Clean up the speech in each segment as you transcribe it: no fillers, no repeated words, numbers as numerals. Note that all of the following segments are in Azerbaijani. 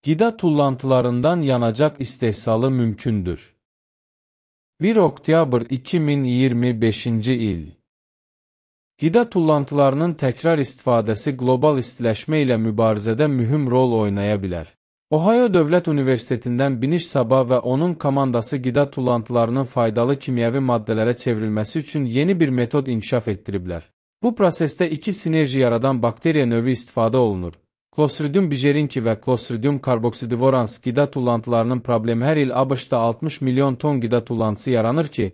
Qida tullantılarından yanacaq istehsalı mümkündür. 1 oktyabr 2025-ci il. Qida tullantılarının təkrar istifadəsi qlobal istiləşmə ilə mübarizədə mühüm rol oynaya bilər. Ohio Dövlət Universitetindən Biniş Saba və onun komandası qida tullantılarının faydalı kimyəvi maddələrə çevrilməsi üçün yeni bir metod inkişaf etdiriblər. Bu prosesdə iki sinerji yaradan bakteriya növü istifadə olunur. Clostridium bigerinki və Clostridium carboxydivorans qida tullantılarının problemi hər il ABŞ-da 60 milyon ton qida tullantısı yaranır ki,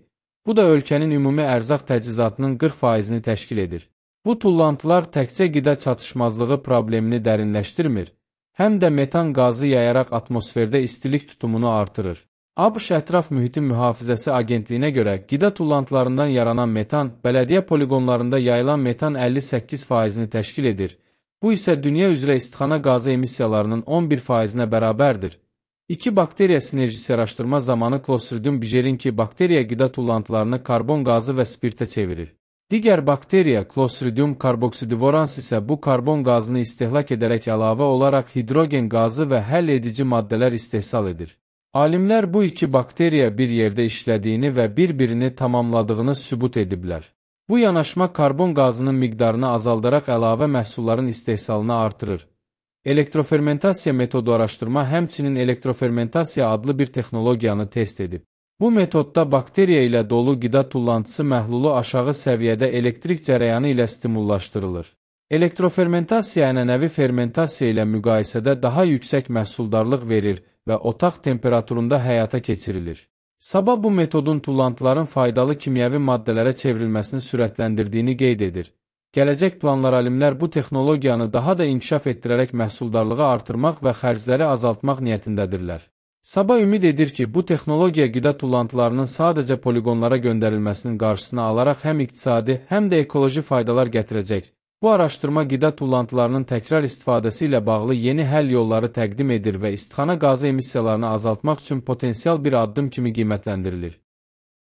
bu da ölkənin ümumi ərzaq təchizatının 40%-ni təşkil edir. Bu tullantılar təkcə qida çatışmazlığı problemini dərinləşdirmir, həm də metan qazı yayaraq atmosferdə istilik tutumunu artırır. ABŞ Ətraf Mühitin Mühafizəsi Agentliyinə görə qida tullantılarından yaranan metan, bələdiyyə poligonlarında yayılan metan 58%-ni təşkil edir. Bu isə dünya üzrə istixana qazı emissiyalarının 11%-nə bərabərdir. İki bakteriya sinerjisi araşdırma zamanı Clostridium bigerinki bakteriya qida tullantılarını karbon qazı və spirtə çevirir. Digər bakteriya Clostridium carboxydivorans isə bu karbon qazını istehlak edərək əlavə olaraq hidrogen qazı və həll edici maddələr istehsal edir. Alimlər bu iki bakteriya bir yerdə işlədiyini və bir-birini tamamladığını sübut ediblər. Bu yanaşma karbon qazının miqdarını azaldaraq əlavə məhsulların istehsalını artırır. Elektrofermentasiya metodu araşdırma həmçinin elektrofermentasiya adlı bir texnologiyanı test edib. Bu metodda bakteriya ilə dolu qida tullantısı məhlulu aşağı səviyyədə elektrik cərəyanı ilə stimullaşdırılır. Elektrofermentasiya ənənəvi fermentasiya ilə müqayisədə daha yüksək məhsuldarlıq verir və otaq temperaturunda həyata keçirilir. Saba bu metodun tullantıların faydalı kimyəvi maddələrə çevrilməsini sürətləndirdiyini qeyd edir. Gələcək planlar alimlər bu texnologiyanı daha da inkişaf etdirərək məhsuldarlığı artırmaq və xərcləri azaltmaq niyyətindədirlər. Saba ümid edir ki, bu texnologiya qida tullantılarının sadəcə poligonlara göndərilməsinin qarşısını alaraq həm iqtisadi, həm də ekoloji faydalar gətirəcək. Bu araşdırma qida tullantılarının təkrar istifadəsi ilə bağlı yeni həll yolları təqdim edir və istixana qazı emissiyalarını azaltmaq üçün potensial bir addım kimi qiymətləndirilir.